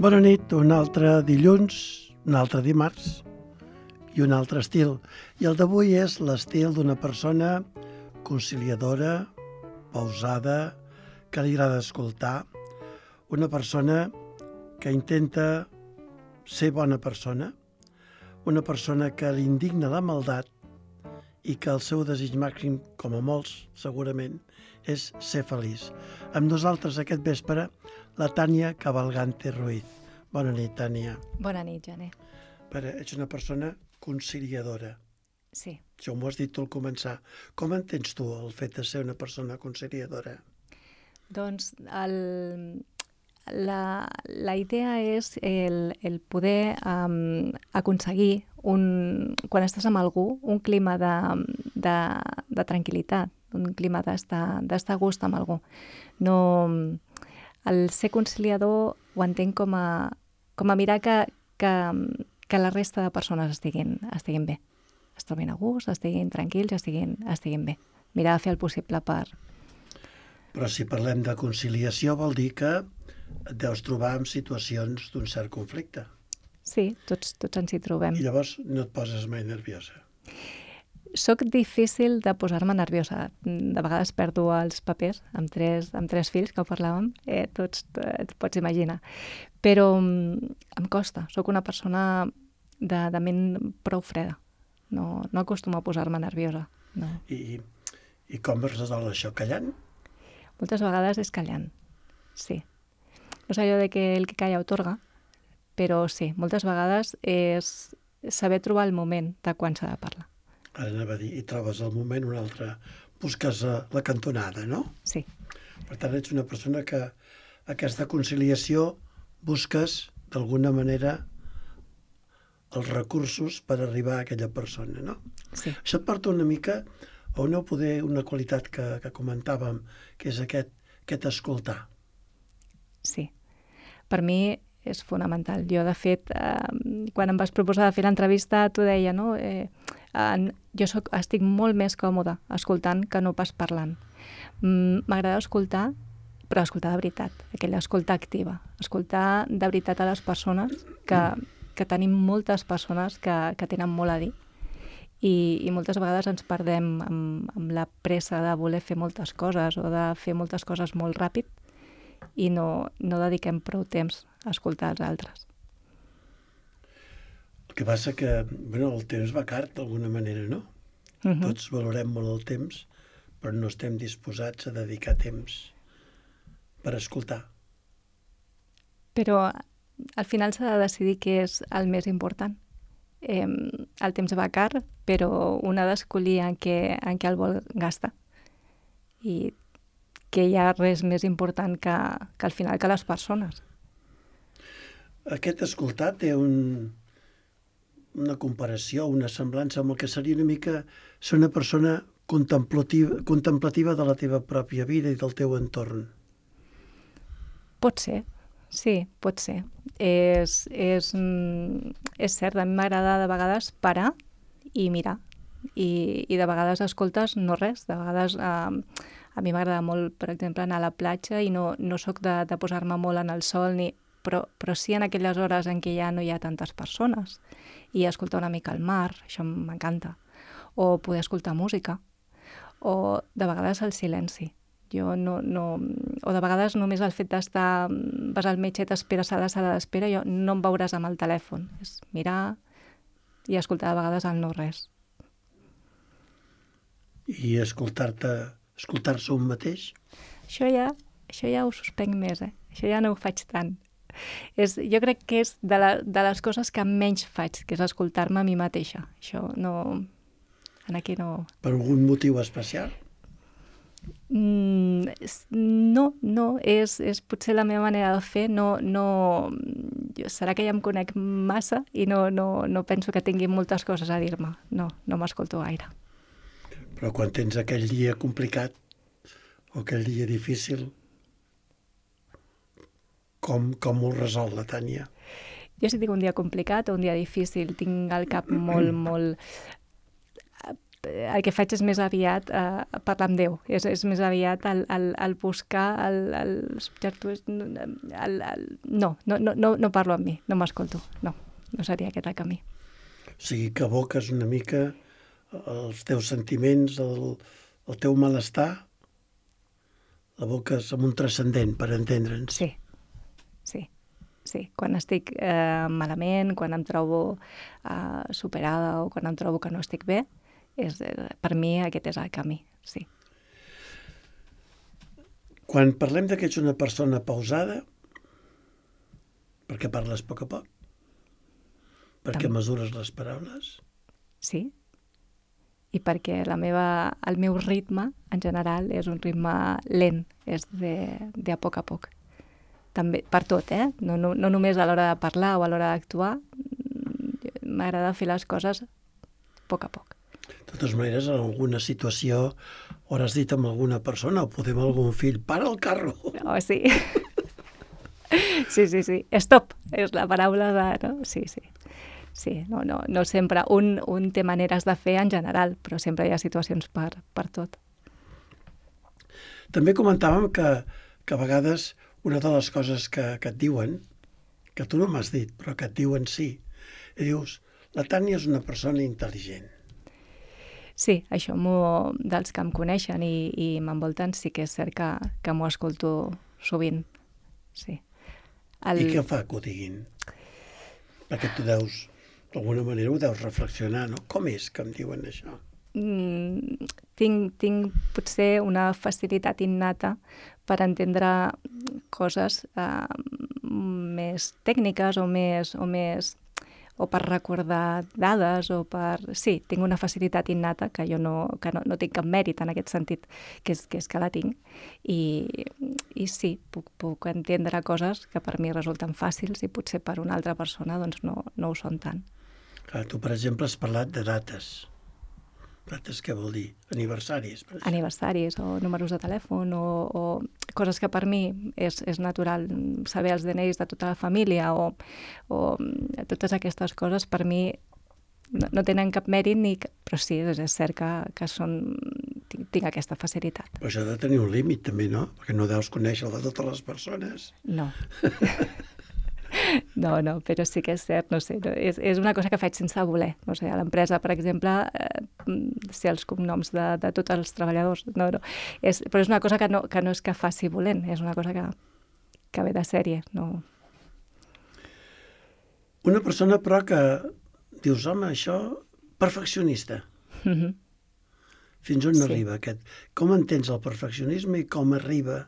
Bona nit, un altre dilluns, un altre dimarts i un altre estil. I el d'avui és l'estil d'una persona conciliadora, pausada, que li agrada escoltar, una persona que intenta ser bona persona, una persona que li indigna la maldat i que el seu desig màxim, com a molts segurament, és ser feliç. Amb nosaltres aquest vespre, la Tània Cavalgante Ruiz. Bona nit, Tània. Bona nit, Jané. Ets una persona conciliadora. Sí. Això m'ho has dit tu al començar. Com entens tu el fet de ser una persona conciliadora? Doncs la idea és el poder aconseguir, quan estàs amb algú, un clima de tranquil·litat, un clima d'estar a gust amb algú. No, el ser conciliador ho entenc com a mirar que la resta de persones estiguin bé, es trobin a gust, estiguin tranquils, estiguin bé. Mirar de fer el possible per... Però si parlem de conciliació vol dir que et deus trobar en situacions d'un cert conflicte. Sí, tots ens hi trobem. I llavors no et poses mai nerviosa. Soc difícil de posar-me nerviosa. De vegades perdo els papers amb tres fills, que ho parlàvem, tots et pots imaginar. Però em costa. Soc una persona de ment prou freda. No acostumo a posar-me nerviosa. No. I com es resol això? Callant? Moltes vegades és callant, sí. No sé allò de que el que calla otorga, però sí, moltes vegades és saber trobar el moment de quan s'ha de parlar. Ara anava a dir, i trobes el moment, un altre, busques la cantonada, no? Sí. Per tant, ets una persona que aquesta conciliació busques, d'alguna manera, els recursos per arribar a aquella persona, no? Sí. Això et porta una mica a una qualitat que comentàvem, que és aquest escoltar. Sí. Per mi és fonamental. Jo, de fet, quan em vas proposar de fer l'entrevista, t'ho deia, no? Jo estic molt més còmoda escoltant que no pas parlant. M'agrada escoltar, però escoltar de veritat, aquella escolta activa. Escoltar de veritat a les persones, que tenim moltes persones que tenen molt a dir, i moltes vegades ens perdem amb la pressa de voler fer moltes coses o de fer moltes coses molt ràpid i no dediquem prou temps a escoltar els altres. El que passa que el temps va car d'alguna manera, no? Tots valorem molt el temps, però no estem disposats a dedicar temps per escoltar. Però al final s'ha de decidir què és el més important. El temps va car, però un ha d'escollir en què el vol gastar. I que hi ha res més important que al final que les persones. Aquest escoltar té una comparació, una semblança amb el que seria una mica ser una persona contemplativa de la teva pròpia vida i del teu entorn. Pot ser. Sí, pot ser. És cert, a mi m'agrada de vegades parar i mirar. I de vegades escoltes no res. De vegades a mi m'agrada molt, per exemple, anar a la platja i no soc de posar-me molt en el sol, però sí en aquelles hores en què ja no hi ha tantes persones. I escoltar una mica el mar, això m'encanta. O poder escoltar música. O de vegades el silenci. O de vegades només el fet d'estar, vas al metge i t'esperes a la sala d'espera, no em veuràs amb el telèfon. És mirar i escoltar de vegades el no res. I escoltar-se un mateix? Això ja ho suspenc més, Això ja no ho faig tant. Jo crec que és de les coses que menys faig, que és escoltar-me a mi mateixa. Això no... Aquí no... Per algun motiu especial? No, és potser la meva manera de fer, serà que ja em conec massa i no penso que tingui moltes coses a dir-me, no m'escolto gaire. Però quan tens aquell dia complicat o aquell dia difícil, com ho resol la Tània? Jo si tinc un dia complicat o un dia difícil, tinc el cap molt el que faig és més aviat parlar amb Déu, és més aviat el buscar els objectius... No parlo amb mi, no m'escolto, no seria aquest el camí. O sigui, que aboques una mica els teus sentiments, el teu malestar, l'aboques amb un transcendent, per entendre'ns. Sí. Quan estic malament, quan em trobo superada o quan em trobo que no estic bé, per mi aquest és el camí, sí. Quan parlem que ets una persona pausada, perquè parles a poc, perquè mesures les paraules. Sí, i perquè el meu ritme, en general, és un ritme lent, és de a poc. També, per tot, no només a l'hora de parlar o a l'hora d'actuar, m'agrada fer les coses a poc. De totes maneres, en alguna situació hauràs dit amb alguna persona o podem algun fill, para el carro. Oh, sí. Sí. Stop, és la paraula de... No? Sí. Sí, no sempre. Un té maneres de fer en general, però sempre hi ha situacions per tot. També comentàvem que a vegades una de les coses que et diuen, que tu no m'has dit, però que et diuen sí, i dius, la Tània és una persona intel·ligent. Sí, això dels que em coneixen i m'envolten sí que és cert que m'ho escolto sovint, sí. I què fa que ho diguin? Perquè tu d'alguna manera ho deus reflexionar, no? Com és que em diuen això? Tinc potser una facilitat innata per entendre coses més tècniques o per recordar dades Sí, tinc una facilitat innata que jo no tinc cap mèrit en aquest sentit, que és que la tinc. I sí, puc entendre coses que per mi resulten fàcils i potser per una altra persona doncs no ho són tant. Clar, tu, per exemple, has parlat de dates. Dates què vol dir? Aniversaris, per exemple. Aniversaris o números de telèfon o coses que per mi és natural saber els DNIs de tota la família o totes aquestes coses per mi no tenen cap mèrit però sí, és cert que tinc aquesta facilitat. Però això ha de tenir un límit també, no? Perquè no deus conèixer de totes les persones. No. No, però sí que és cert, no sé, és una cosa que faig sense voler. No sé, a l'empresa, per exemple, sé els cognoms de tots els treballadors, però és una cosa que no és que faci volent, és una cosa que ve de sèrie, no. Una persona, però, que dius, home, això, perfeccionista. Fins on arriba aquest? Com entens el perfeccionisme i com arriba?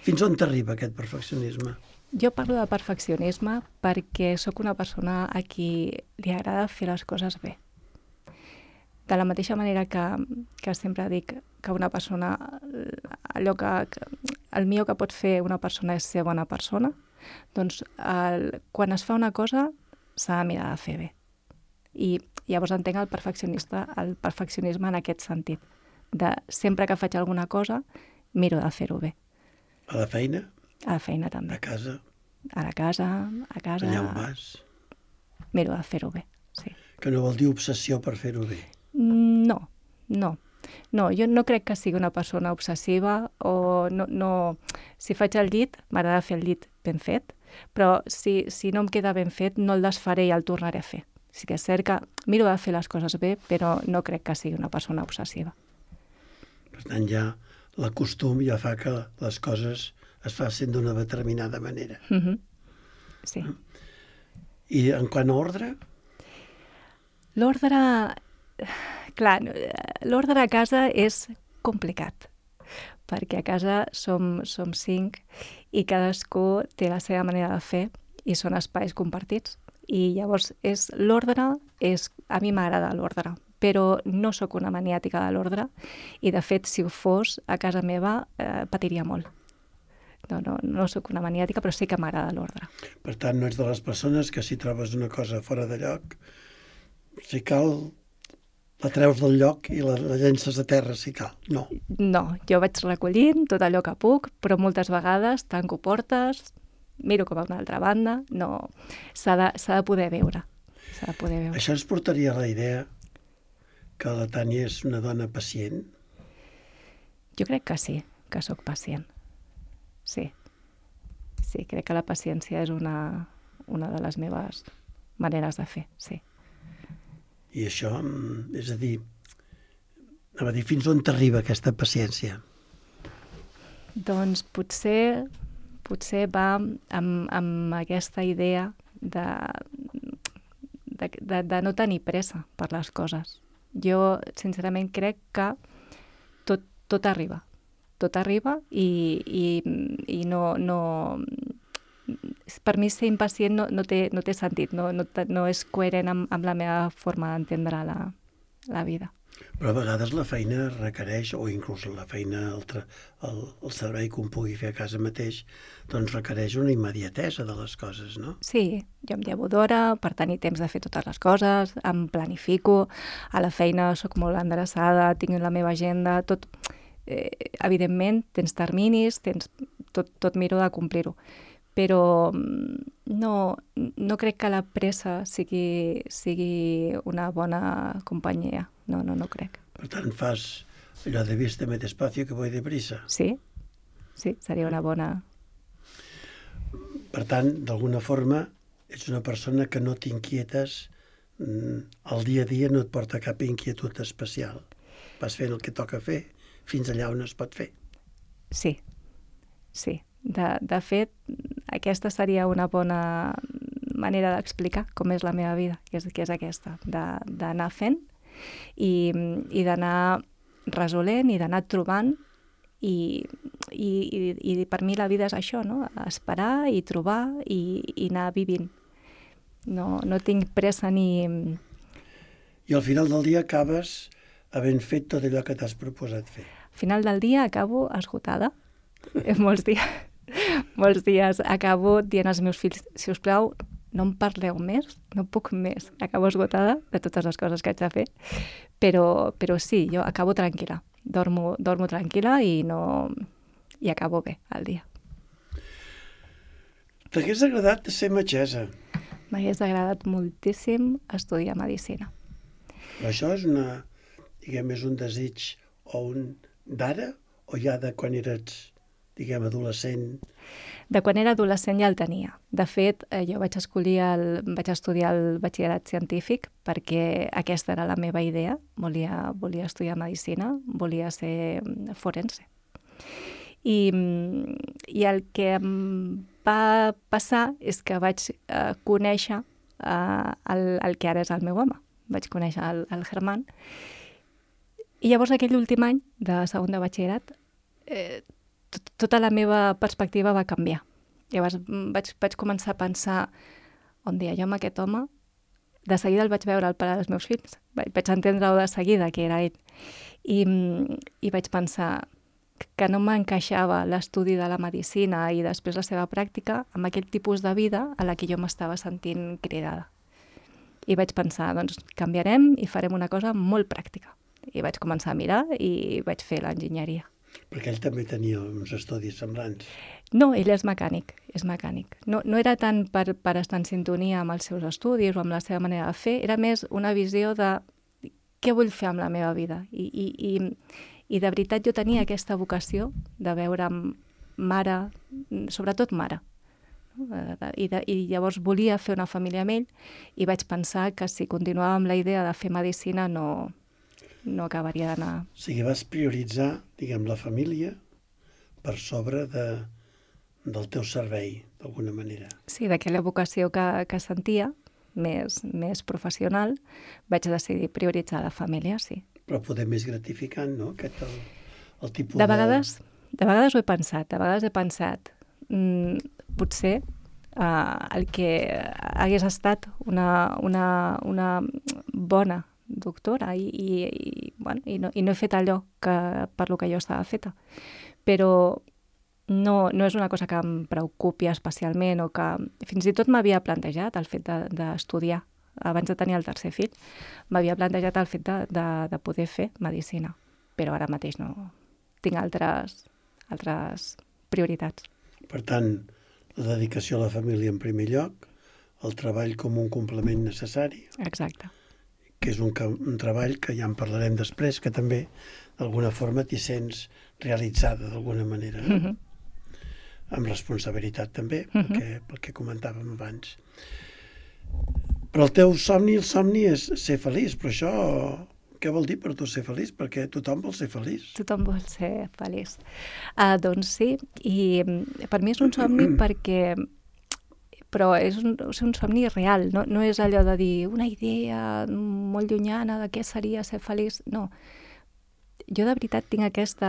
Fins on t'arriba aquest perfeccionisme? Jo parlo de perfeccionisme perquè sóc una persona a qui li agrada fer les coses bé. De la mateixa manera que sempre dic que una persona, allò el millor que pot fer una persona és ser bona persona, doncs quan es fa una cosa s'ha de mirar de fer bé. I llavors entenc el perfeccionisme en aquest sentit, de sempre que faig alguna cosa miro de fer-ho bé. A la feina? A la feina també. A casa? A la casa. Allà on vas? Miro de fer-ho bé, sí. Que no vol dir obsessió per fer-ho bé? No, jo no crec que sigui una persona obsessiva o no. Si faig el llit, m'agrada fer el llit ben fet, però si no em queda ben fet no el desfaré i el tornaré a fer. Sí que és cert que miro de fer les coses bé, però no crec que sigui una persona obsessiva. Per tant, ja el costum ja fa que les coses es facin d'una determinada manera. Sí. I en quant a ordre? L'ordre... Clar, l'ordre a casa és complicat, perquè a casa som 5 i cadascú té la seva manera de fer i són espais compartits. I llavors l'ordre a mi m'agrada l'ordre, però no sóc una maniàtica de l'ordre i, de fet, si ho fos, a casa meva patiria molt. No sóc una maniàtica, però sí que m'agrada l'ordre. Per tant, no ets de les persones que si trobes una cosa fora de lloc, si cal, la treus del lloc i la llences a terra, si cal. No, jo vaig recollint tot allò que puc, però moltes vegades tanco portes, miro cap a una altra banda, no, s'ha de poder veure. Això ens portaria a la idea que la Tània és una dona pacient? Jo crec que sí, que sóc pacient. Sí. Sí, crec que la paciència és una de les meves maneres de fer, sí. I això, és a dir, fins on t'arriba aquesta paciència? Doncs potser va amb aquesta idea de no tenir pressa per les coses. Jo, sincerament, crec que tot arriba. Tot arriba i no... Per mi ser impacient no té sentit, no és coherent amb la meva forma d'entendre la vida. Però a vegades la feina requereix, o inclús la feina, el servei que un pugui fer a casa mateix, doncs requereix una immediatesa de les coses, no? Sí, jo em llevo d'hora per tenir temps de fer totes les coses, em planifico, a la feina sóc molt endreçada, tinc la meva agenda, tot... evidentment, tens terminis, tot miro de complir-ho. Però no crec que la pressa sigui una bona companyia. No crec. Per tant, fas allò de vísteme despacio que voy deprisa. Sí, seria una bona... Per tant, d'alguna forma, ets una persona que no t'inquietes, el dia a dia no et porta cap inquietud especial. Vas fent el que toca fer fins allà on es pot fer. Sí. De fet, aquesta seria una bona manera d'explicar com és la meva vida, que és aquesta, d'anar fent i d'anar resolent i d'anar trobant i per mi la vida és això, no? Esperar i trobar i anar vivint. No tinc pressa ni... I al final del dia acabes havent fet tot allò que t'has proposat fer. Al final del dia acabo esgotada. Molts dies acabo dient als meus fills, si us plau, no em parleu més, no puc més. Acabo esgotada de totes les coses que haig de fer, però sí, jo acabo tranquil·la. Dormo tranquil·la i acabo bé el dia. T'hagués agradat ser metgessa? M'hagués agradat moltíssim estudiar medicina. Però això és és un desig d'ara o ja de quan eres, adolescent? De quan era adolescent ja el tenia. De fet, jo vaig estudiar el batxillerat científic perquè aquesta era la meva idea. Volia estudiar medicina, volia ser forense. I el que em va passar és que vaig conèixer el que ara és el meu home. Vaig conèixer el Germán. I llavors aquell últim any de segon de batxillerat tota la meva perspectiva va canviar. Llavors vaig començar a pensar un dia, jo amb aquest home, de seguida el vaig veure el pare dels meus fills, vaig entendre-ho de seguida que era ell. I vaig pensar que no m'encaixava l'estudi de la medicina i després la seva pràctica amb aquell tipus de vida a la que jo m'estava sentint cridada. I vaig pensar, doncs canviarem i farem una cosa molt pràctica. I vaig començar a mirar i vaig fer l'enginyeria. Perquè ell també tenia uns estudis semblants. No, ell és mecànic. No era tant per estar en sintonia amb els seus estudis o amb la seva manera de fer, era més una visió de què vull fer amb la meva vida. I de veritat jo tenia aquesta vocació de veure mare, sobretot mare. I llavors volia fer una família amb ell i vaig pensar que si continuava amb la idea de fer medicina no acabaria d'anar... O sigui, vas prioritzar, la família per sobre del teu servei, d'alguna manera. Sí, d'aquella vocació que sentia, més professional, vaig decidir prioritzar la família, sí. Però poder més gratificant, no? El tipus de vegades ho he pensat, potser el que hagués estat una bona doctora i no he fet allò per lo que jo estava feta. Però no és una cosa que em preocupi especialment o que fins i tot m'havia plantejat el fet d'estudiar. Abans de tenir el tercer fill, m'havia plantejat el fet de poder fer medicina. Però ara mateix no. Tinc altres prioritats. Per tant, la dedicació a la família en primer lloc, el treball com un complement necessari. Exacte. que és un treball que ja en parlarem després, que també d'alguna forma t'hi sents realitzada d'alguna manera, no? Amb responsabilitat també, pel que comentàvem abans. Però el teu somni, és ser feliç, però això què vol dir per tu ser feliç? Perquè tothom vol ser feliç. Tothom vol ser feliç. Doncs sí, i per mi és un somni perquè... Però és un somni real, no és allò de dir una idea molt llunyana de què seria ser feliç, no. Jo de veritat tinc aquest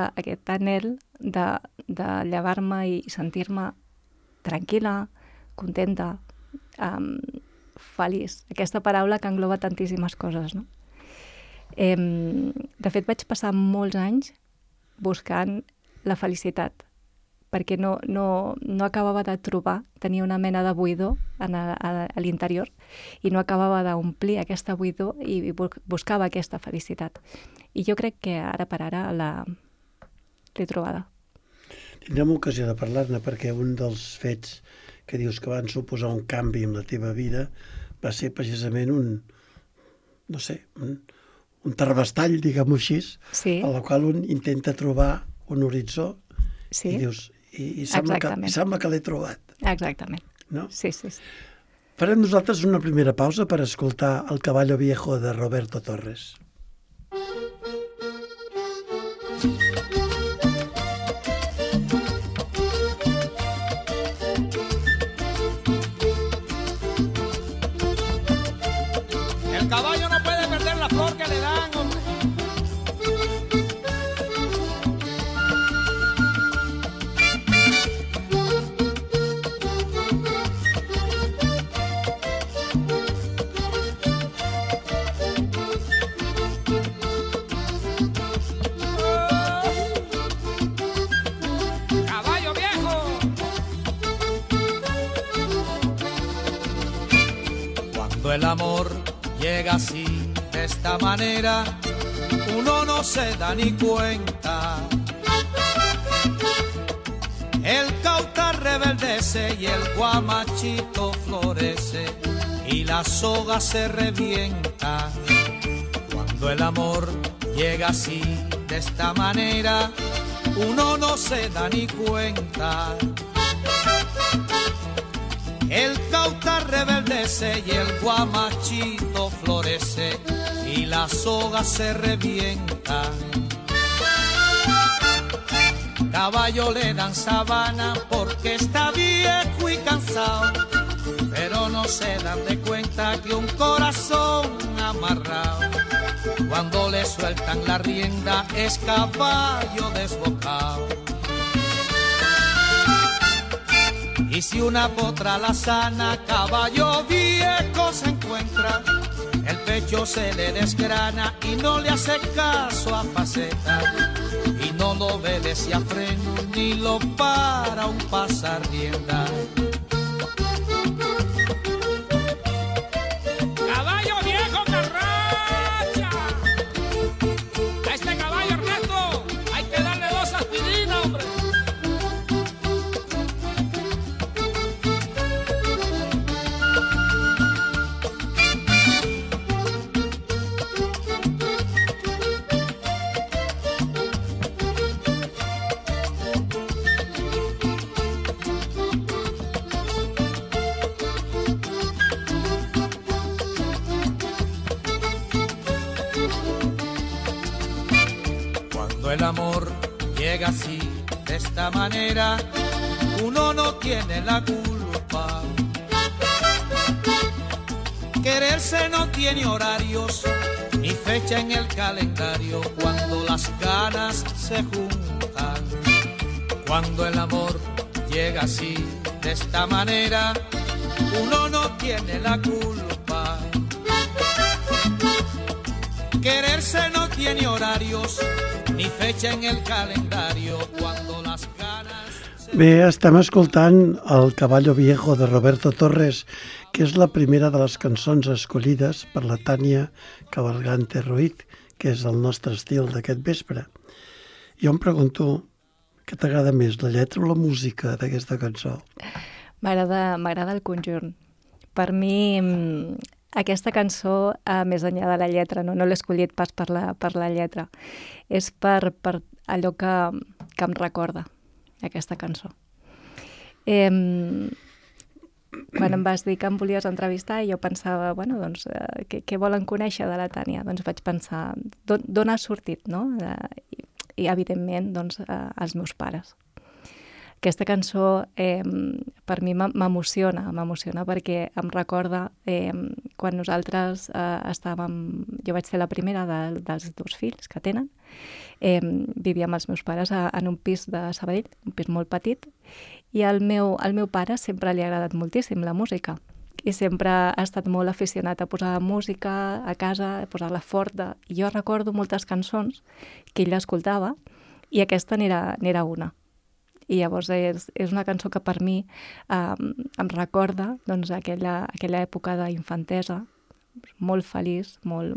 anhel de llevar-me i sentir-me tranquil·la, contenta, feliç. Aquesta paraula que engloba tantíssimes coses, no? De fet, vaig passar molts anys buscant la felicitat, perquè no acabava de trobar, tenia una mena de buidor a l'interior i no acabava d'omplir aquesta buidor i buscava aquesta felicitat. I jo crec que ara per ara l'he trobada. Tindrem ocasió de parlar-ne perquè un dels fets que dius que van suposar un canvi en la teva vida va ser precisament un tarbestall, diguem-ho així, a la qual un intenta trobar un horitzó i dius... I sembla que l'he trobat. Exactament. No? Sí. Farem nosaltres una primera pausa per escoltar El caballo viejo de Roberto Torres. El caballo no puede perder la flor que le dan, hombre. El amor llega así, de esta manera, uno no se da ni cuenta. El cautar rebeldece y el guamachito florece y la soga se revienta. Cuando el amor llega así, de esta manera, uno no se da ni cuenta. El cautar rebeldece y el guamachito florece y la soga se revienta. Caballo le dan sabana porque está viejo y cansado, pero no se dan de cuenta que un corazón amarrado, cuando le sueltan la rienda, es caballo desbocado. Y si una potra la sana, caballo viejo se encuentra, el pecho se le desgrana y no le hace caso a faceta, y no lo obedece a freno ni lo para un pasar rienda. Caballo viejo carracha, a este caballo Ernesto hay que darle 2 aspirinas, hombre. El amor llega así, de esta manera, uno no tiene la culpa. Quererse no tiene horarios, ni fecha en el calendario, cuando las ganas se juntan. Cuando el amor llega así, de esta manera, uno no tiene la culpa. Quererse no tiene horarios, ni fecha en el calendario, cuando las ganas... Bé, estem escoltant El caballo viejo de Roberto Torres, que és la primera de les cançons escollides per la Tània Cabalgante Ruiz, que és el nostre estil d'aquest vespre. Jo em pregunto, què t'agrada més, la lletra o la música d'aquesta cançó? M'agrada el conjunt. Per mi Aquesta cançó, més enllà de la lletra, no l'he escollit pas per la lletra, és per allò que em recorda, aquesta cançó. Quan em vas dir que em volies entrevistar, jo pensava, bueno, doncs, què volen conèixer de la Tània? Doncs vaig pensar, d'on ha sortit, no? I evidentment, doncs, els meus pares. Aquesta cançó per mi m'emociona perquè em recorda quan nosaltres jo vaig ser la primera dels 2 fills que tenen, vivia amb els meus pares en un pis de Sabadell, un pis molt petit, i al meu pare sempre li ha agradat moltíssim la música i sempre ha estat molt aficionat a posar música a casa, a posar-la forta. I jo recordo moltes cançons que ell escoltava i aquesta n'era una. I llavors és una cançó que per mi em recorda doncs, aquella època d'infantesa, molt feliç, molt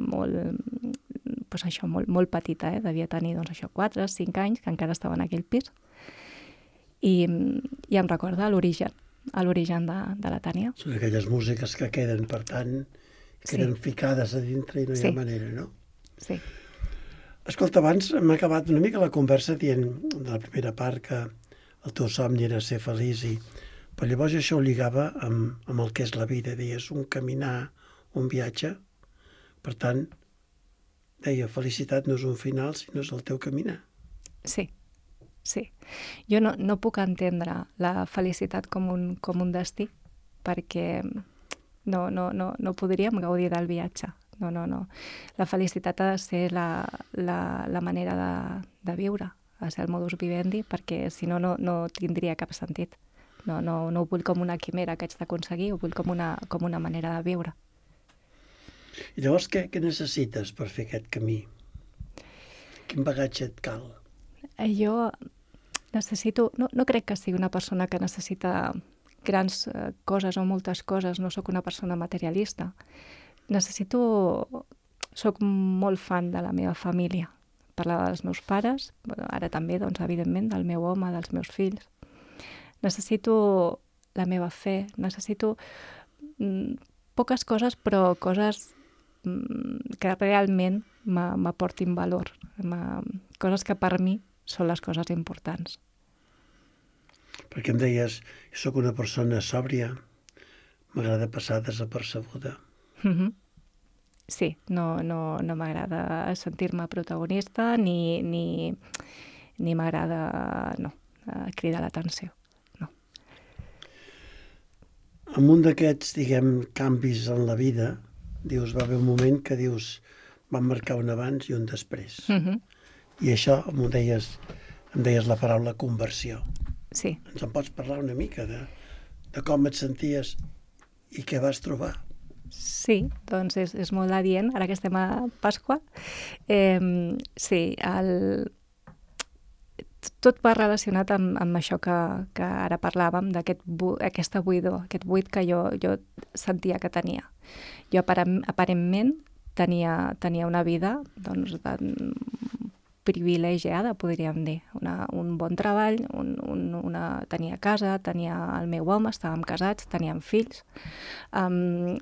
petita, devia tenir doncs, 4 o 5 anys, que encara estava en aquell pis, i em recorda l'origen de la Tània. Són aquelles músiques que queden, per tant, queden ficades a dintre i no hi ha manera, no? Sí. Escolta, abans m'ha acabat una mica la conversa dient de la primera part que el teu somni era ser feliç, però llavors això ho lligava amb el que és la vida. Deies un caminar, un viatge. Per tant, deia, felicitat no és un final, sinó és el teu caminar. Sí. Jo no puc entendre la felicitat com un destí, perquè no podríem gaudir del viatge. No. La felicitat ha de ser la manera de viure, a ser el modus vivendi, perquè si no tindria cap sentit. No ho vull com una quimera que haig d'aconseguir, ho vull com una manera de viure. I llavors què necessites per fer aquest camí? Quin bagatge et cal? Jo necessito... No crec que sigui una persona que necessita grans coses o moltes coses, no sóc una persona materialista. Soc molt fan de la meva família. Parlava dels meus pares, ara també, doncs, evidentment, del meu home, dels meus fills. Necessito la meva fe, necessito poques coses, però coses que realment m'aportin valor, coses que per mi són les coses importants. Perquè em deies, jo sóc una persona sòbria, m'agrada passar desapercebuda. Sí, no m'agrada sentir-me protagonista ni m'agrada cridar l'atenció. No. En un d'aquests, canvis en la vida, va haver un moment que van marcar un abans i un després. I això em deies la paraula conversió. Sí. Ens en pots parlar una mica de com et senties i què vas trobar? Sí, doncs és molt adient, ara que estem a Pasqua. Sí, tot va relacionat amb això que ara parlàvem, d'aquesta buidor, aquest buit que jo sentia que tenia. Jo aparentment tenia una vida doncs, privilegiada, podríem dir. Un bon treball, tenia casa, tenia el meu home, estàvem casats, teníem fills,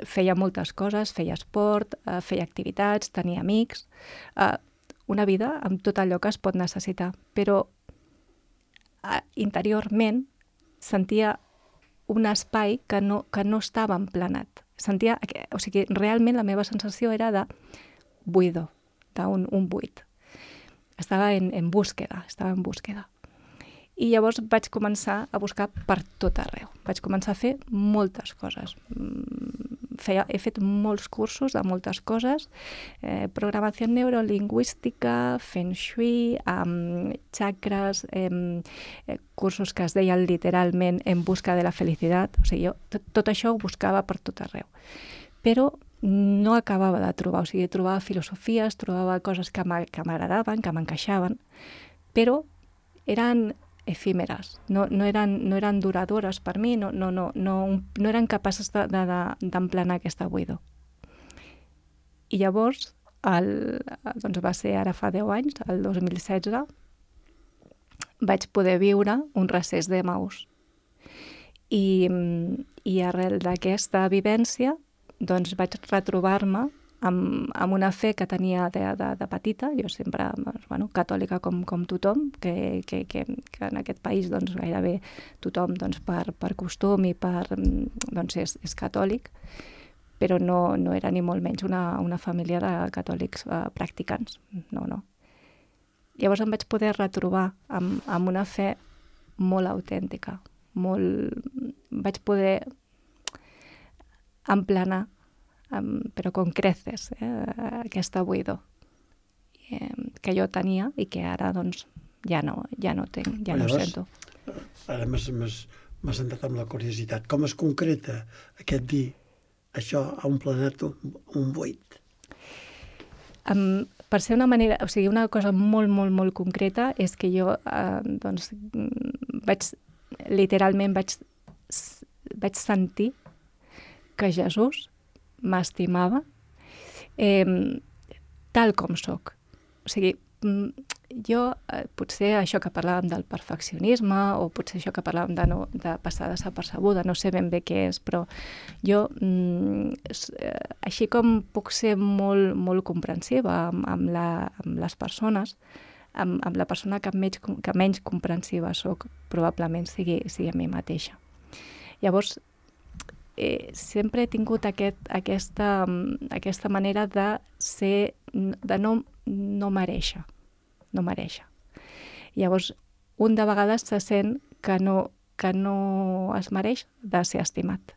feia moltes coses, feia esport, feia activitats, tenia amics, una vida amb tot allò que es pot necessitar. Però interiorment sentia un espai que no estava emplenat. Realment la meva sensació era de buidor, d'un buit. Estava en búsqueda. I llavors vaig començar a buscar per tot arreu. Vaig començar a fer moltes coses. He fet molts cursos de moltes coses, programació neurolingüística, feng shui, chakras, cursos que es deien literalment en busca de la felicitat. O sigui, jo tot això ho buscava per tot arreu. Però no acabava de trobar, trobava filosofies, trobava coses que m'agradaven, que m'encaixaven, però eren efímeres, no eren duradores per mi, no eren capaces d'emplenar aquesta buidor. I llavors, va ser ara fa 10 anys, el 2016, vaig poder viure un recés d'Emaús. I arrel d'aquesta vivència doncs vaig retrobar-me amb una fe que tenia de petita, jo sempre, catòlica com tothom, que en aquest país doncs, gairebé tothom doncs, per costum i doncs, és catòlic, però no era ni molt menys una família de catòlics practicants, no. Llavors em vaig poder retrobar amb una fe molt autèntica, vaig poder emplenar, però con creces, aquesta buidor que jo tenia i que ara doncs, ja no tinc, ja no sento. Ara m'has entrat amb la curiositat. Com es concreta aquest dir això ha emplenat un buit? Per ser una manera, o sigui, una cosa molt, molt, molt concreta és que jo doncs, literalment vaig sentir que Jesús m'estimava tal com soc. O sigui, jo, potser això que parlàvem del perfeccionisme o potser això que parlàvem de passar desapercebuda, no sé ben bé què és, però jo, així com puc ser molt, molt comprensiva amb les persones, amb la persona que menys comprensiva soc, probablement sigui a mi mateixa. Llavors, sempre he tingut aquesta manera de ser, de no mereixer. No mereixer. Llavors, un de vegades se sent que no es mereix de ser estimat.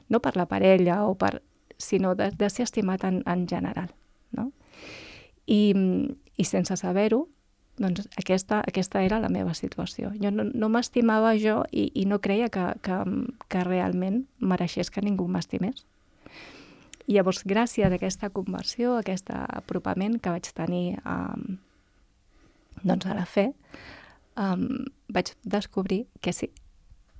No per la parella, sinó de ser estimat en general. No? I sense saber-ho, doncs aquesta era la meva situació. Jo no m'estimava jo i no creia que realment mereixés que ningú m'estimés. I llavors, gràcies a aquesta conversió, a aquest apropament que vaig tenir doncs a la fe, vaig descobrir que sí,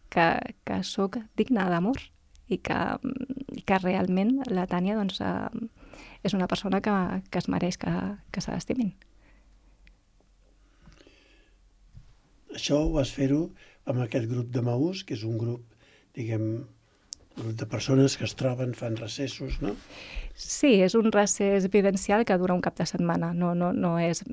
que sóc digna d'amor i que realment la Tània doncs, és una persona que es mereix que se l'estimin. Això ho vas fer-ho amb aquest grup de Maús, que és un grup, diguem, grup de persones que es troben, fan recessos, no? Sí, és un recés vivencial que dura un cap de setmana. No és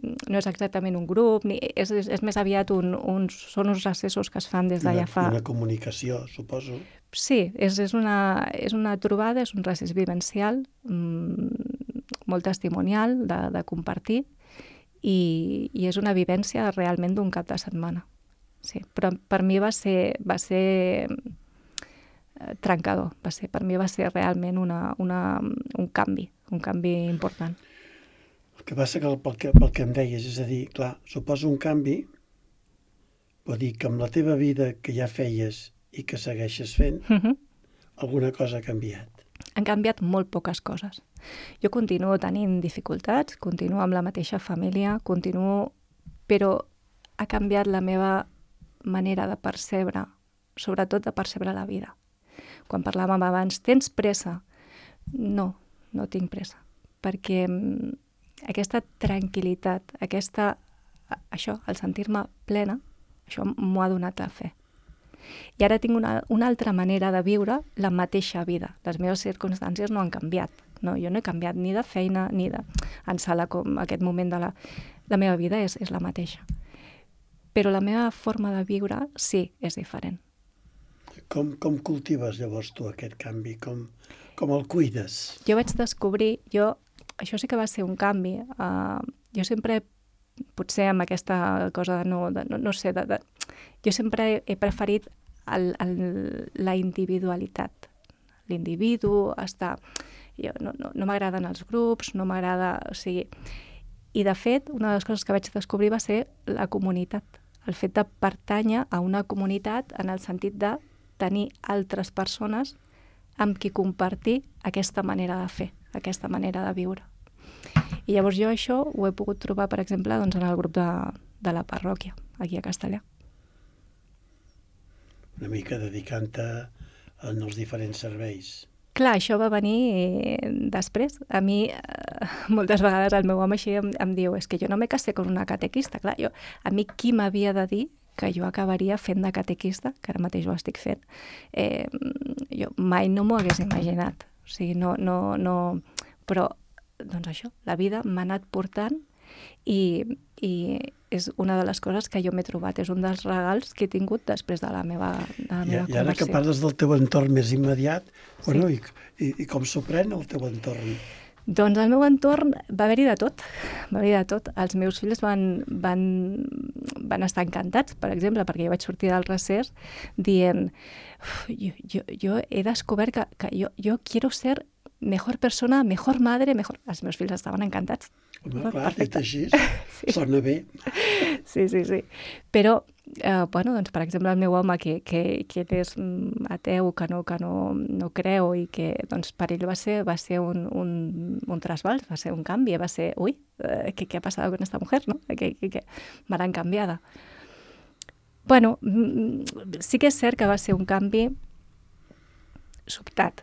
exactament un grup, és més aviat són uns recessos que es fan des d'allà fa... Una comunicació, suposo. Sí, és una trobada, és un recés vivencial, molt testimonial, de compartir, i és una vivència realment d'un cap de setmana. Sí, però per mi va ser trencador. Per mi va ser realment un canvi important. El que passa que pel que em deies, és a dir, clar, suposa un canvi, vol dir que amb la teva vida que ja feies i que segueixes fent, alguna cosa ha canviat. Han canviat molt poques coses. Jo continuo tenint dificultats, continuo amb la mateixa família, però ha canviat la meva manera de percebre, sobretot de percebre la vida. Quan parlàvem abans, tens pressa? No tinc pressa, perquè aquesta tranquil·litat, això, el sentir-me plena, això m'ho ha donat la fe. I ara tinc una altra manera de viure la mateixa vida. Les meves circumstàncies no han canviat. No, jo no he canviat ni de feina, ni d'ensala com aquest moment de la meva vida és la mateixa. Però la meva forma de viure sí, és diferent. Com cultives llavors tu aquest canvi? Com el cuides? Jo vaig descobrir, això sí que va ser un canvi. Jo sempre, potser amb aquesta cosa no sé, jo sempre he preferit la individualitat. L'individu està... No m'agraden els grups, no m'agrada... O sigui, i de fet, una de les coses que vaig descobrir va ser la comunitat. El fet de pertànyer a una comunitat en el sentit de tenir altres persones amb qui compartir aquesta manera de fer, aquesta manera de viure. I llavors jo això ho he pogut trobar, per exemple, doncs, en el grup de la parròquia, aquí a Castellà. Una mica dedicant-te als diferents serveis. Clar, això va venir després. A mi, moltes vegades el meu home així em diu és que jo no me casé con una catequista. Clar, a mi qui m'havia de dir que jo acabaria fent de catequista, que ara mateix ho estic fent, jo mai no m'ho hagués imaginat. O sigui, no... Però, doncs això, la vida m'ha anat portant i és una de les coses que jo m'he trobat. És un dels regals que he tingut després de la meva conversió. I ara que parles del teu entorn més immediat, bueno, i com s'ho pren el teu entorn? Doncs al meu entorn va haver-hi de tot, Els meus fills van estar encantats, per exemple, perquè jo vaig sortir del recés dient, jo he descobert que jo quiero ser mejor persona, mejor madre, mejor... Els meus fills estaven encantats. Home, clar, dit així, sona bé. Sí. Però, bueno, doncs, per exemple, el meu home, que és ateu, que no creu, i que, doncs, per ell va ser un trasbals, va ser un canvi, va ser, ui, ¿qué ha pasado con esta mujer, no? Que m'han canviada. Bueno, sí que és cert que va ser un canvi sobtat,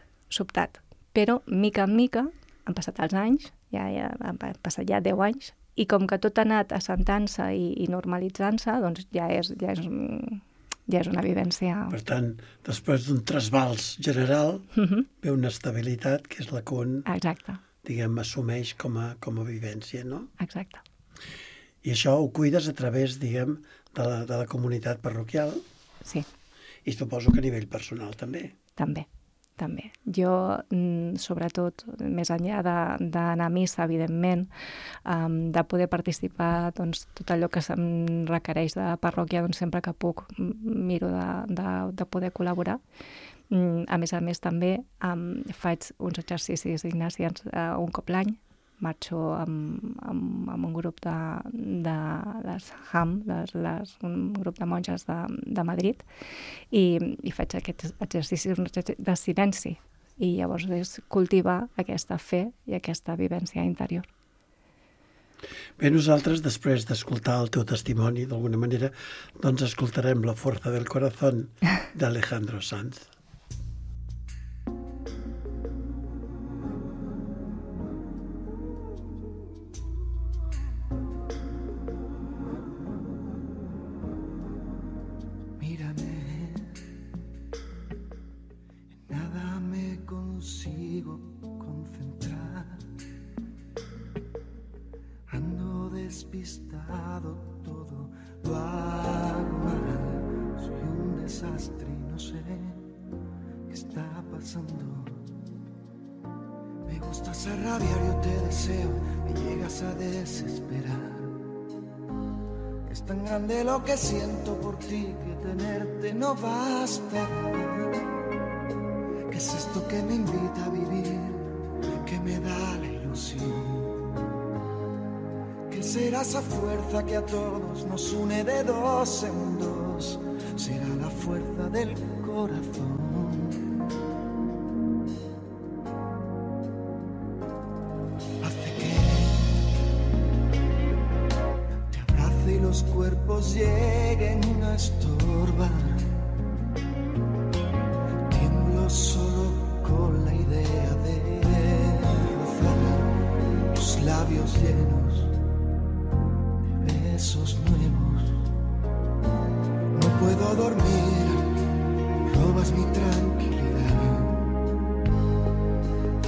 però mica en mica han passat els anys, ja han passat 10 anys, i com que tot ha anat assentant-se i normalitzant-se, doncs ja és una vivència... Per tant, després d'un trasbals general, ve una estabilitat que és la que un, diguem, assumeix com a vivència, no? Exacte. I això ho cuides a través, diguem, de la comunitat parroquial? Sí. I suposo que a nivell personal també. També. Jo, sobretot, més enllà d'anar a missa, evidentment, de poder participar, doncs, tot allò que se'm requereix de parròquia, doncs, sempre que puc miro de poder col·laborar. A més, també faig uns exercicis ignacians un cop l'any. Marxo amb un grup de les HAM, un grup de monges de Madrid, i faig aquests exercicis de silenci. I llavors és cultivar aquesta fe i aquesta vivència interior. Bé, nosaltres, després d'escoltar el teu testimoni, d'alguna manera, doncs escoltarem La fuerza del corazón d'Alejandro Sanz. Despistado, todo lo hago mal. Soy un desastre y no sé qué está pasando. Me gustas a rabiar, yo te deseo, me llegas a desesperar. Es tan grande lo que siento por ti que tenerte no basta. ¿Qué es esto que me invita a vivir, que me da la ilusión? Será esa fuerza que a todos nos une de dos en dos. Será la fuerza del corazón. Hace que te abrace y los cuerpos lleguen a estorbar. Tiemblo solo con la idea de rozar tus labios llenos besos nuevos. No puedo dormir, robas mi tranquilidad.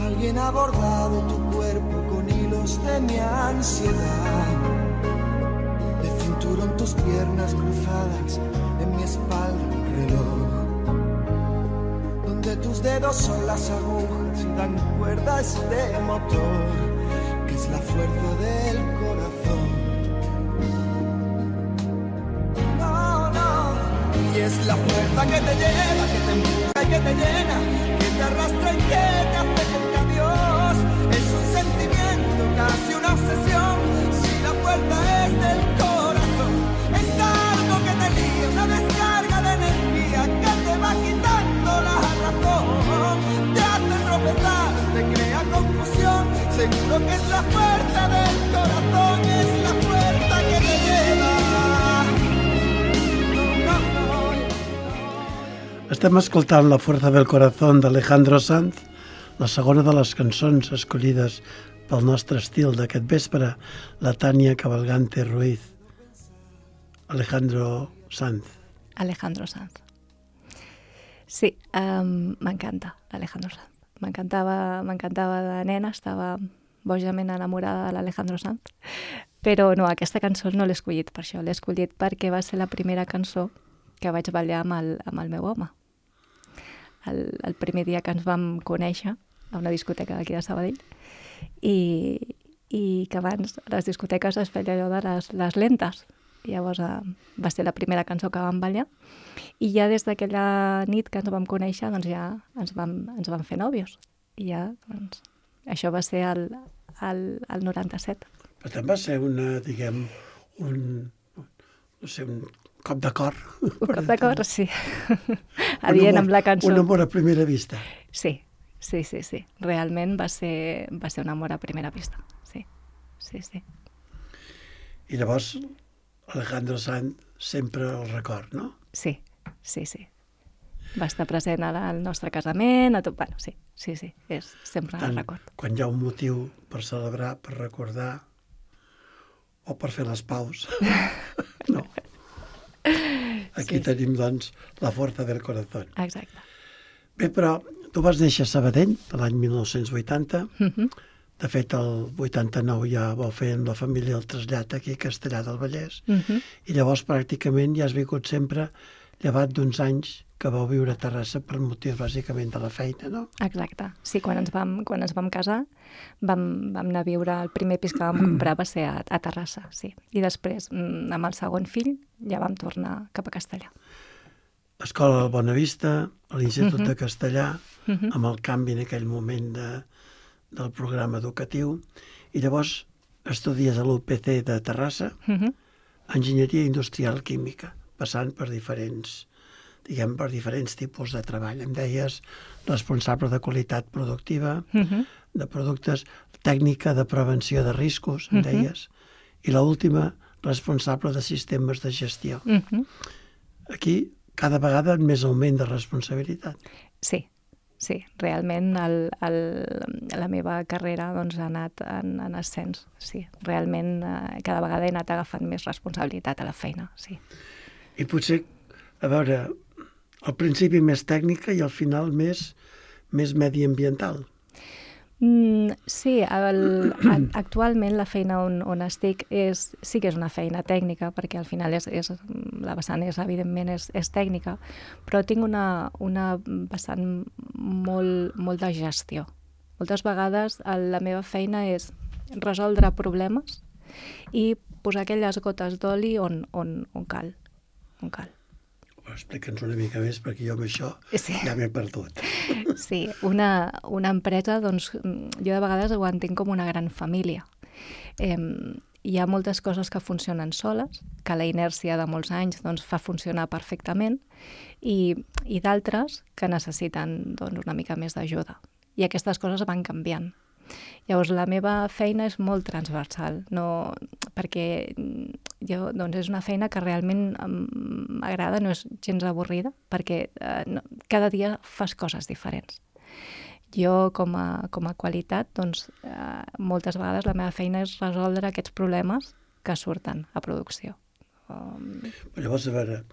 Alguien ha bordado tu cuerpo con hilos de mi ansiedad. De cinturón tus piernas cruzadas, en mi espalda un reloj, donde tus dedos son las agujas y dan cuerda a este motor, que es la fuerza del corazón. Y es la fuerza que te lleva, que te empuja y que te llena, que te arrastra y que te hace cerca a Dios. Es un sentimiento, casi una obsesión. Si la fuerza es del corazón, es algo que te liga, una descarga de energía que te va quitando la razón. Te hace tropezar, te crea confusión. Seguro que es la fuerza del corazón, es la fuerza que te lleva. Estem escoltant La fuerza del corazón d'Alejandro Sanz, la segona de les cançons escollides pel nostre estil d'aquest vespre, la Tania Cabalgante Ruiz. Alejandro Sanz. Sí, m'encanta Alejandro Sanz. m'encantava de nena, estava bojament enamorada de l'Alejandro Sanz, però no, aquesta cançó no l'he escollit per això, l'he escollit perquè va ser la primera cançó que vaig ballar amb el meu home. El primer dia que ens vam conèixer a una discoteca d'aquí de Sabadell i que abans les discoteques es feia allò de les lentes. Llavors va ser la primera cançó que vam ballar i ja des d'aquella nit que ens vam conèixer doncs ja ens vam fer nòvios. I ja, doncs, això va ser el 97. Per tant, va ser un cop de cor. Un cop de cor, sí. Adient amb la cançó. Un amor a primera vista. Sí. Realment va ser un amor a primera vista. Sí. I llavors, Alejandro Sanz sempre el record, no? Sí. Va estar present al nostre casament, a tot. Bueno, sí. És sempre el record. Quan hi ha un motiu per celebrar, per recordar, o per fer les paus, no. Aquí tenim, doncs, la força del corazón. Exacte. Bé, però tu vas néixer a Sabadell l'any 1980. De fet, el 89 ja vau fer amb la família el trasllat aquí a Castellar del Vallès. I llavors pràcticament ja has vingut sempre, llevat d'uns anys que vau viure a Terrassa per motius bàsicament de la feina, no? Exacte. Sí, quan ens vam casar vam anar a viure, el primer pis que vam comprar va ser a Terrassa, sí. I després, amb el segon fill, ja vam tornar cap a Castellar. Escola del Bonavista, a l'Institut de Castellar, amb el canvi en aquell moment del programa educatiu, i llavors estudies a l'UPC de Terrassa, Enginyeria Industrial Química, passant per diferents tipus de treball. Em deies responsable de qualitat productiva, de productes, tècnica de prevenció de riscos, em deies, i l'última, responsable de sistemes de gestió. Aquí, cada vegada més augment de responsabilitat. Sí, realment la meva carrera doncs, ha anat en ascens, sí. Realment cada vegada he anat agafant més responsabilitat a la feina, sí. I potser, a veure, al principi més tècnica i al final més mediambiental. Sí, actualment la feina on estic sí que és una feina tècnica, perquè al final la vessant evidentment és tècnica, però tinc una vessant molt de gestió. Moltes vegades la meva feina és resoldre problemes i posar aquelles gotes d'oli on cal. Explica'ns una mica més, perquè jo amb això ja m'he perdut. Sí, una empresa, doncs, jo de vegades ho entenc com una gran família. Hi ha moltes coses que funcionen soles, que la inèrcia de molts anys doncs, fa funcionar perfectament, i d'altres que necessiten doncs, una mica més d'ajuda. I aquestes coses van canviant. Llavors, la meva feina és molt transversal, perquè doncs és una feina que realment m'agrada, no és gens avorrida, perquè cada dia fas coses diferents. Jo, com a qualitat, doncs, moltes vegades la meva feina és resoldre aquests problemes que surten a producció. Llavors, a veure,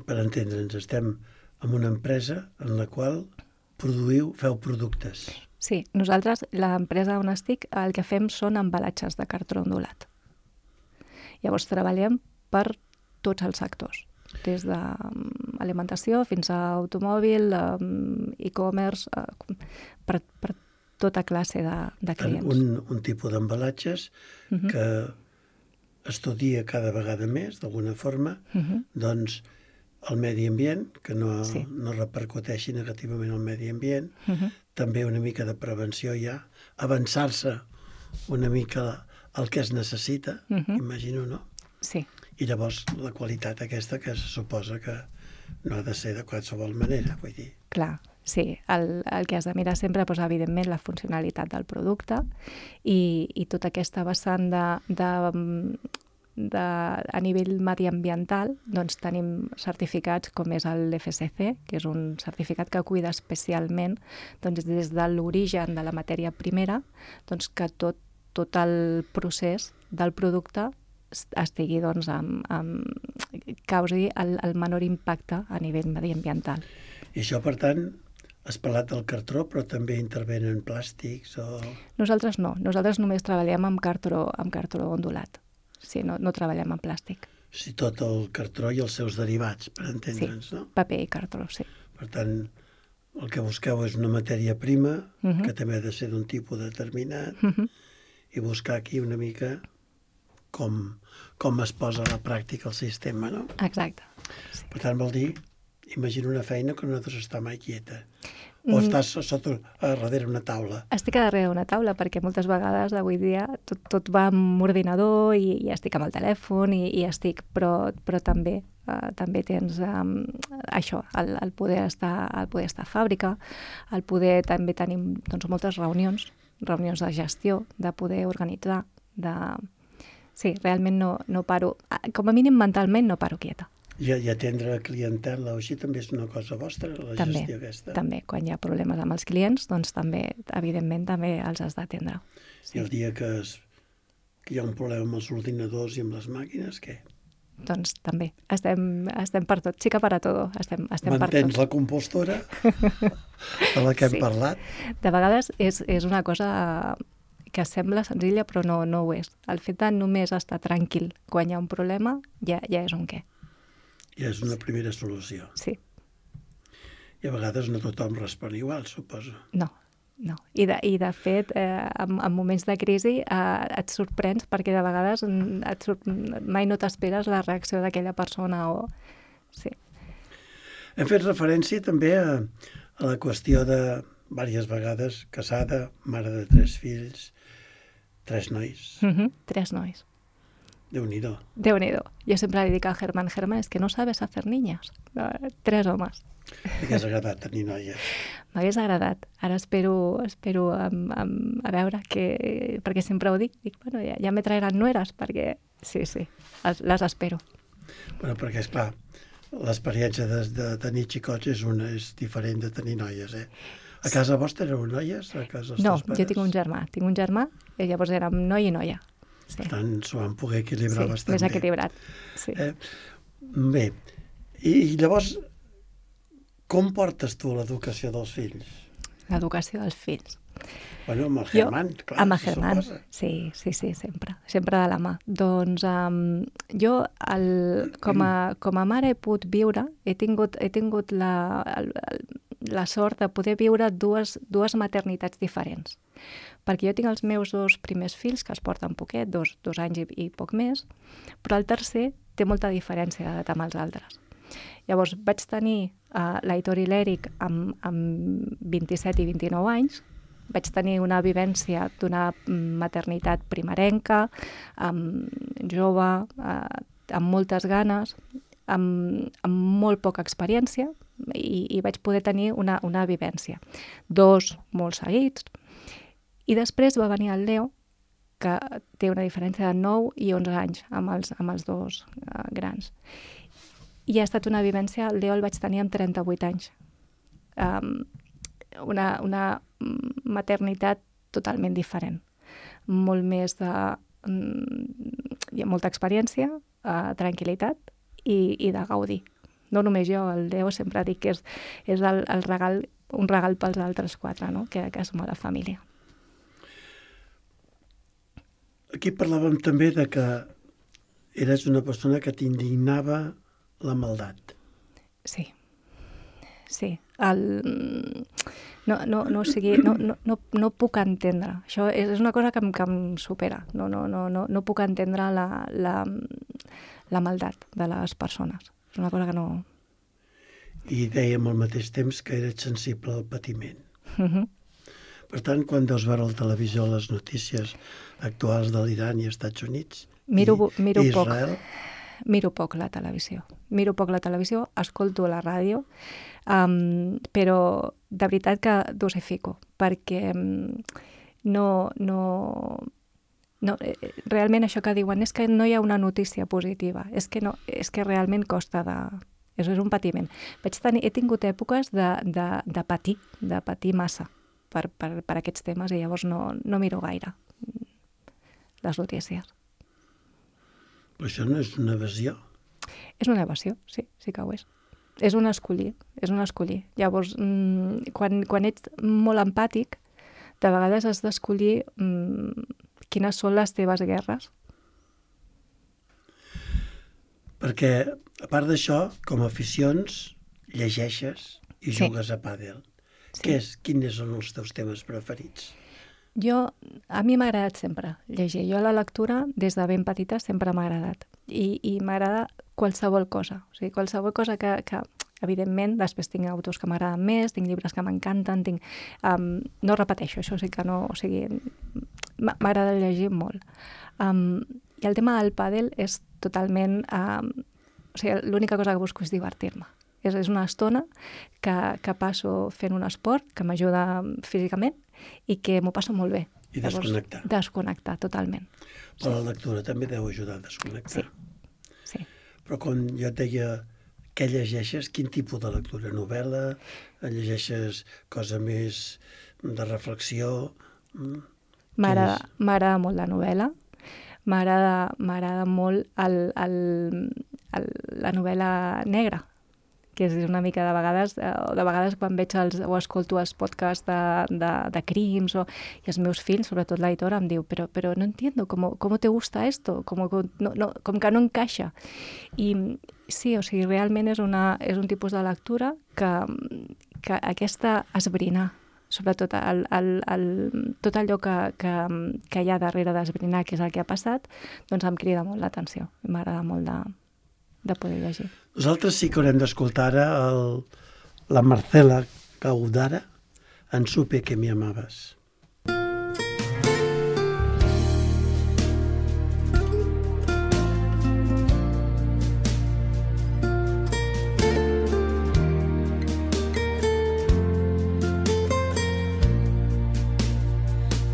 per entendre'ns, estem en una empresa en la qual feu productes. Sí, nosaltres, l'empresa on estic, el que fem són embalatges de cartró ondulat. Llavors treballem per tots els sectors, des d'alimentació fins a automòbil, e-commerce, per tota classe de clients. Un tipus d'embalatges que estudia cada vegada més, d'alguna forma, doncs el medi ambient, que no repercuteixi negativament al medi ambient, també una mica de prevenció ja, avançar-se una mica al que es necessita, imagino, no? Sí. I llavors la qualitat aquesta que se suposa que no ha de ser de qualsevol manera, vull dir. Clar, sí. El que has de mirar sempre, doncs, evidentment, la funcionalitat del producte i tota aquesta vessant a nivell mediambiental, doncs tenim certificats com és l'FSC, que és un certificat que cuida especialment doncs, des de l'origen de la matèria primera, doncs, que tot el procés del producte estigui, doncs, causi el menor impacte a nivell mediambiental. I això, per tant, Has parlat del cartró, però també intervenen plàstics o... Nosaltres no, nosaltres només treballem amb cartró ondulat. Sí, no treballem amb plàstic. Sí, tot el cartró i els seus derivats, per entendre'ns, no? Paper i cartró, sí. Per tant, el que busqueu és una matèria prima, que també ha de ser d'un tipus determinat, i buscar aquí una mica com es posa a la pràctica el sistema, no? Exacte. Sí. Per tant, vol dir, imagina una feina que no has d'estar mai quieta. O estàs darrere una taula. Estic a darrere una taula perquè moltes vegades avui dia tot va amb ordinador i estic amb el telèfon i estic, però també tens això, el poder estar a fàbrica, el poder també tenim moltes reunions de gestió, de poder organitzar, Sí, realment no paro, com a mínim mentalment no paro quieta. I atendre clientela o així també és una cosa vostra, la gestió aquesta? També, quan hi ha problemes amb els clients, doncs també, evidentment, també els has d'atendre. Sí. I el dia que hi ha un problema amb els ordinadors i amb les màquines, què? Doncs també, estem per tot, xica para todo, estem per tot. Mantens la compostura de la que hem parlat? De vegades és una cosa que sembla senzilla però no ho és. El fet de només estar tranquil quan hi ha un problema ja és un què. Ja és una primera solució. Sí. I a vegades no tothom respon igual, suposo. No. I de fet, en moments de crisi et sorprens perquè de vegades mai no t'esperes la reacció d'aquella persona o... Sí. Hem fet referència també a la qüestió de, diverses vegades, casada, mare de 3 fills, 3 nois. 3 nois. Déu-n'hi-do. Déu-n'hi-do. Jo sempre li dic al Germán, és que no sabes hacer niñas. 3 homes. T'hagués agradat tenir noies? M'hagués agradat. Ara espero a veure perquè sempre ho dic. Bueno, ja me traeran nueras, perquè sí, les espero. Bueno, perquè, esclar, l'experiència de tenir xicots és diferent de tenir noies, eh? A casa vostra éreu noies? A casa dels teus pares? Jo tinc un germà, i llavors érem noi i noia. Sí. Per tant, s'ho van poder equilibrar bastant bé. Sí, més equilibrat. Sí. Bé, i llavors, com portes tu l'educació dels fills? L'educació dels fills? Bueno, amb el Germán, clar. Amb el Germán, sí, sempre de la mà. Doncs jo, com a mare he pogut viure, he tingut la sort de poder viure dues maternitats diferents. Perquè jo tinc els meus 2 primers fills, que es porten poquet, 2 anys i poc més, però el tercer té molta diferència d'edat amb els altres. Llavors vaig tenir l'Aitor i l'Eric amb 27 i 29 anys, vaig tenir una vivència d'una maternitat primerenca, jove, amb moltes ganes, amb molt poca experiència, i vaig poder tenir una vivència. 2 molt seguits, i després va venir el Leo, que té una diferència de 9 i 11 anys amb els 2 grans. I ha estat una vivència, el Leo el vaig tenir amb 38 anys. Una maternitat totalment diferent. Molt més de... Hi ha molta experiència, tranquil·litat i de gaudir. No només jo, el Leo sempre dic que és el regal, un regal pels altres 4, no? que som a la família. Aquí parlàvem també de que eres una persona que t'indignava la maldat. Sí. No puc entendre. Això és una cosa que em supera. No puc entendre la maldat de les persones. És una cosa que no... I dèiem al mateix temps que eres sensible al patiment. Per tant, quan deus veure a la televisió les notícies actuals de l'Iran i Estats Units miro i Israel... Miro poc la televisió. Escolto la ràdio, però de veritat que dosifico, perquè realment això que diuen és que no hi ha una notícia positiva, és que realment costa de... És un patiment. He tingut èpoques de patir massa per aquests temes i llavors no miro gaire les notícies. Però això no és una evasió? És una evasió, sí que ho és. és un escollir, és un escollir. Llavors, quan ets molt empàtic, de vegades has d'escollir quines són les teves guerres. Perquè, a part d'això, com a aficions, llegeixes i jugues a pàdel. Sí. Quins són els teus temes preferits? A mi m'ha agradat sempre llegir. Jo la lectura, des de ben petita, sempre m'ha agradat. I m'agrada qualsevol cosa. O sigui, qualsevol cosa que evidentment, després tinc autors que m'agraden més, tinc llibres que m'encanten, no repeteixo, això sí que no... O sigui, m'agrada llegir molt. I el tema del pàdel és totalment... O sigui, l'única cosa que busco és divertir-me. És una estona que passo fent un esport que m'ajuda físicament i que m'ho passo molt bé. I desconnectar. Desconnectar, totalment. Però la lectura també deu ajudar a desconnectar. Sí. Però quan jo et deia què llegeixes, quin tipus de lectura? Novel·la? Llegeixes cosa més de reflexió? M'agrada molt la novel·la. M'agrada molt la novel·la negra, que és una mica de vegades quan veig o escolto els podcasts de crims, i els meus fills, sobretot l'editora, em diu però no entiendo, ¿cómo te gusta esto? Com que no encaixa. I sí, o sigui, realment és un tipus de lectura que aquesta esbrinar, sobretot tot allò que hi ha darrere d'esbrinar, que és el que ha passat, doncs em crida molt l'atenció. M'agrada molt de poder llegir. Nosaltres sí que haurem d'escoltar ara la Marcela Gaudara en Supe que me amabas.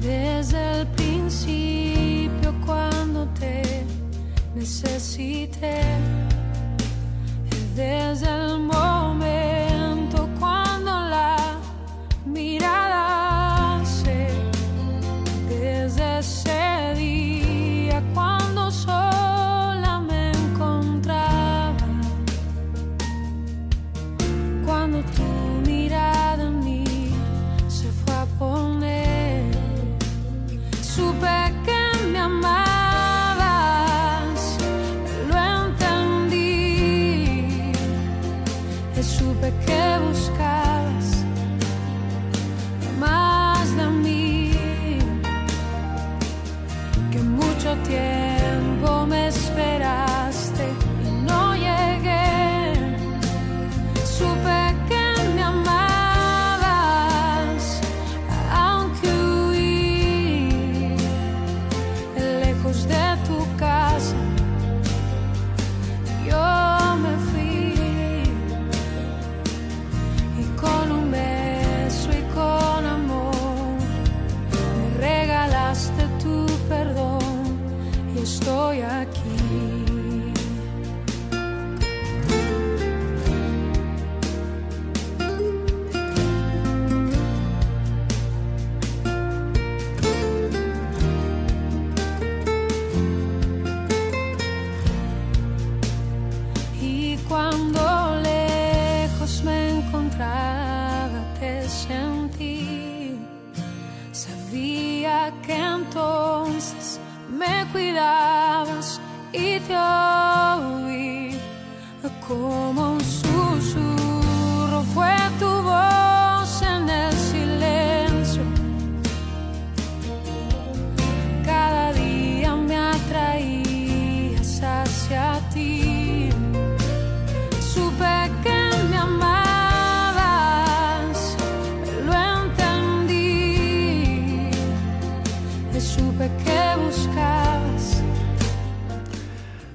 Desde el principio cuando te necesité, desde el momento cuando la mirada se, desde ese día cuando sola me encontraba, cuando tu mirada en mí se fue a poner, supe que me amabas. Supe que buscabas más de mí, que mucho tiempo me esperaste y no llegué. Supe que me amabas, aunque huí lejos de tu casa. Yo me fui con un beso y con amor, me regalaste tu perdón y estoy aquí. Y cuando lejos me encontraba, te sentí, sabía que entonces me cuidabas y te oí como un susurro, fue tu voz en el silencio, cada día me atraías hacia ti, supe que me amabas. Que buscabas.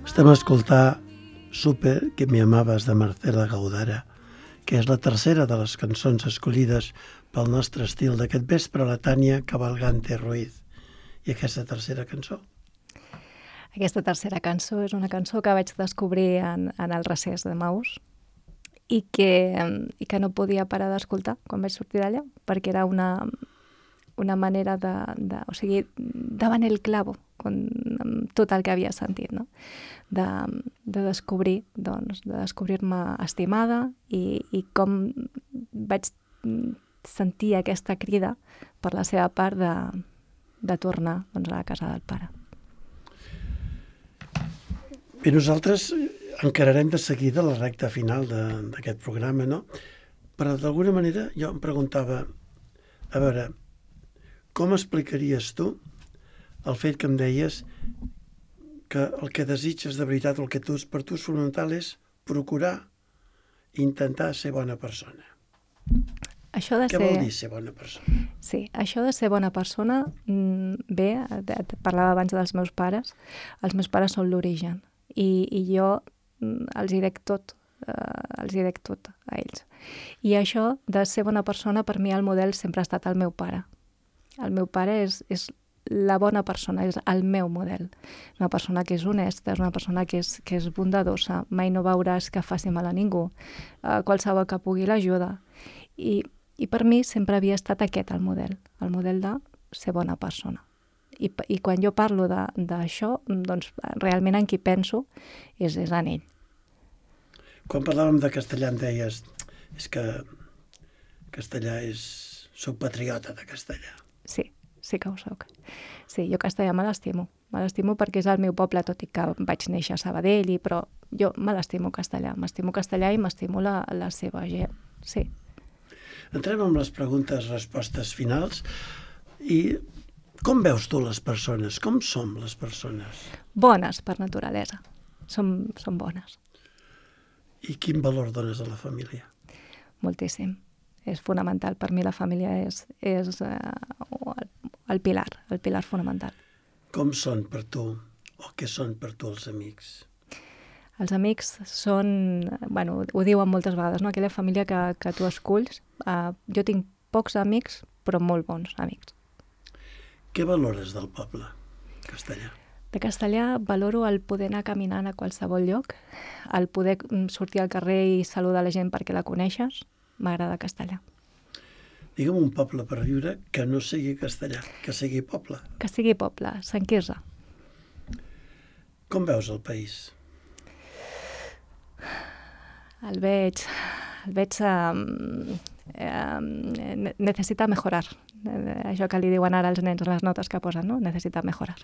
Estem a escoltar Supe que me amabas de Marcela Gaudara, que és la tercera de les cançons escollides pel nostre estil d'aquest vespre, la Tània Cavalgante Ruiz. I aquesta tercera cançó? Aquesta tercera cançó és una cançó que vaig descobrir en el recés de Maús i que no podia parar d'escoltar quan vaig sortir d'allà, perquè era una manera o sigui, davant el clavo, amb tot el que havia sentit, no? De descobrir, doncs, de descobrir-me estimada i com vaig sentir aquesta crida per la seva part de tornar, doncs, a la casa del pare. Bé, nosaltres encararem de seguida la recta final d'aquest programa, no? Però d'alguna manera jo em preguntava, a veure, com explicaries tu el fet que em deies que el que desitges de veritat, el que per tu és fonamental és procurar intentar ser bona persona? Què vol dir ser bona persona? Sí, això de ser bona persona, bé, parlava abans dels meus pares. Els meus pares són l'origen i jo els hi dec tot a ells. I això de ser bona persona, per mi el model sempre ha estat el meu pare. El meu pare és la bona persona, és el meu model. Una persona que és honesta, és una persona que és bondadosa, mai no veuràs que faci mal a ningú, qualsevol que pugui l'ajuda. I per mi sempre havia estat aquest el model de ser bona persona. I quan jo parlo d'això, doncs realment en qui penso és en ell. Quan parlàvem de castellà em deies és que castellà soc patriota de castellà. Sí que ho soc. Sí, jo castellà me l'estimo. Me l'estimo perquè és el meu poble, tot i que vaig néixer a Sabadell, però jo me l'estimo castellà. M'estimo castellà i m'estimo la seva gent, sí. Entrem amb les preguntes-respostes finals. I com veus tu les persones? Com som les persones? Bones per naturalesa. Som bones. I quin valor dones a la família? Moltíssim. És fonamental. Per mi la família és el pilar fonamental. Com són per tu, o què són per tu els amics? Els amics són, bueno, ho diuen moltes vegades, no? Aquella família que tu esculls. Jo tinc pocs amics, però molt bons amics. Què valores del poble castellà? De castellà valoro el poder anar caminant a qualsevol lloc, el poder sortir al carrer i saludar la gent perquè la coneixes. M'agrada castellà. Digue'm un poble per viure que no sigui castellà, que sigui poble. Que sigui poble, Sant Quirze. Com veus el país? El veig necessita mejorar. Això que li diuen ara als nens, les notes que posen, no? Necessita mejorar.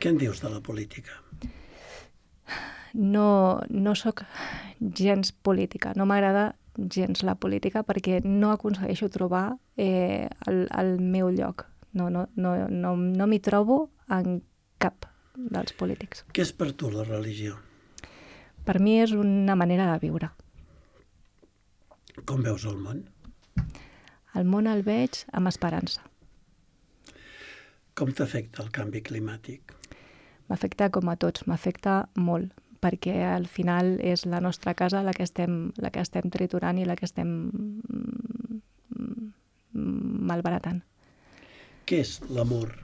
Què en dius de la política? No soc gens política, no m'agrada gens la política perquè no aconsegueixo trobar el meu lloc. No m'hi trobo en cap dels polítics. Què és per tu la religió? Per mi és una manera de viure. Com veus el món? El món el veig amb esperança. Com t'afecta el canvi climàtic? M'afecta com a tots, m'afecta molt, perquè al final és la nostra casa la que estem triturant i la que estem malbaratant. Què és l'amor?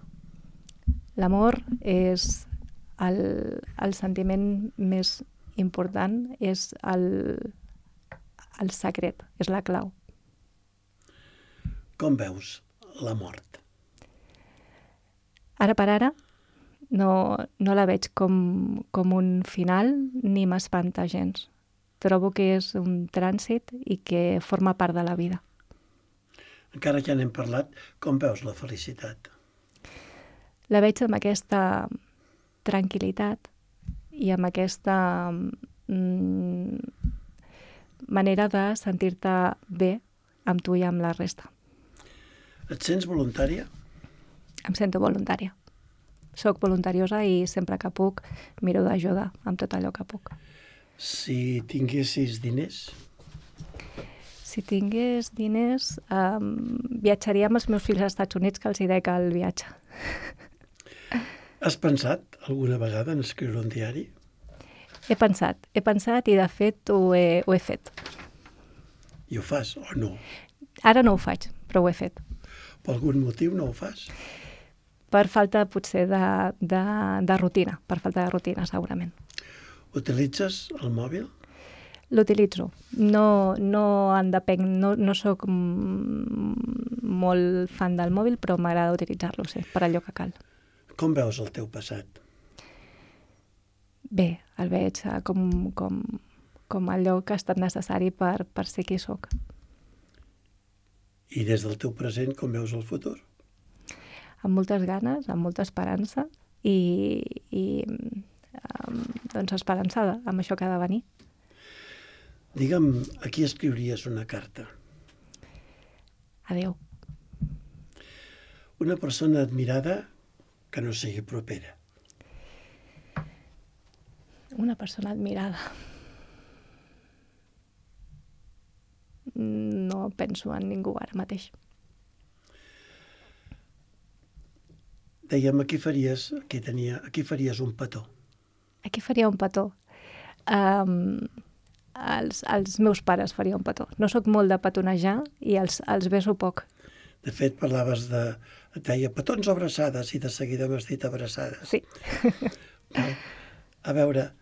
L'amor és el sentiment més important, és el secret, és la clau. Com veus la mort? Ara per ara no la veig com un final ni m'espanta gens. Trobo que és un trànsit i que forma part de la vida. Encara que ja n'hem parlat, com veus la felicitat? La veig amb aquesta tranquil·litat i amb aquesta manera de sentir-te bé amb tu i amb la resta. Et sents voluntària? Em sento voluntària. Soc voluntariosa i sempre que puc miro d'ajudar amb tot allò que puc. Si tinguessis diners? Si tingués diners, viatjaria amb els meus fills als Estats Units, que els hi dec el viatge. Has pensat alguna vegada en escriure un diari? He pensat i de fet ho he fet. I ho fas o no? Ara no ho faig, però ho he fet. Per algun motiu no ho fas? Per falta potser de rutina, segurament. Utilitzes el mòbil? L'utilitzo. No en depenc, no soc molt fan del mòbil, però m'agrada utilitzar-lo, sí, per allò que cal. Com veus el teu passat? Bé, el veig com allò que ha estat necessari per ser qui sóc. I des del teu present, com veus el futur? Amb moltes ganes, amb molta esperança i doncs esperançada amb això que ha de venir. Digue'm, a qui escriuries una carta? Adéu. Una persona admirada que no sigui propera. Una persona admirada. No penso en ningú ara mateix. Dèiem, a qui faries un petó? A qui faria un petó? Als meus pares faria un petó. No sóc molt de petonejar i els beso poc. De fet, parlaves et deia petons o abraçades i de seguida m'has dit abraçades. Sí. A veure,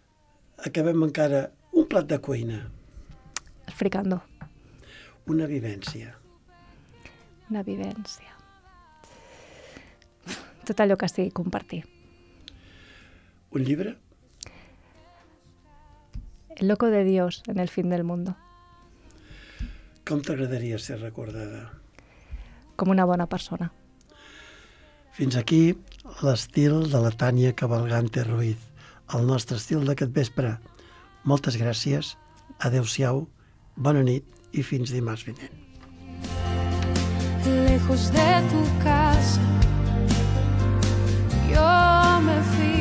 acabem encara un plat de cuina. El fricandó. Una vivència. Una vivència. Tot allò que sigui compartir. Un llibre? El loco de Dios en el fin del mundo. Com t'agradaria ser recordada? Com una bona persona. Fins aquí l'estil de la Tània Cavalgante Ruiz, el nostre estil d'aquest vespre. Moltes gràcies, adeu-siau, bona nit i fins dimarts vinent. Lejos de tu casa, yo me fui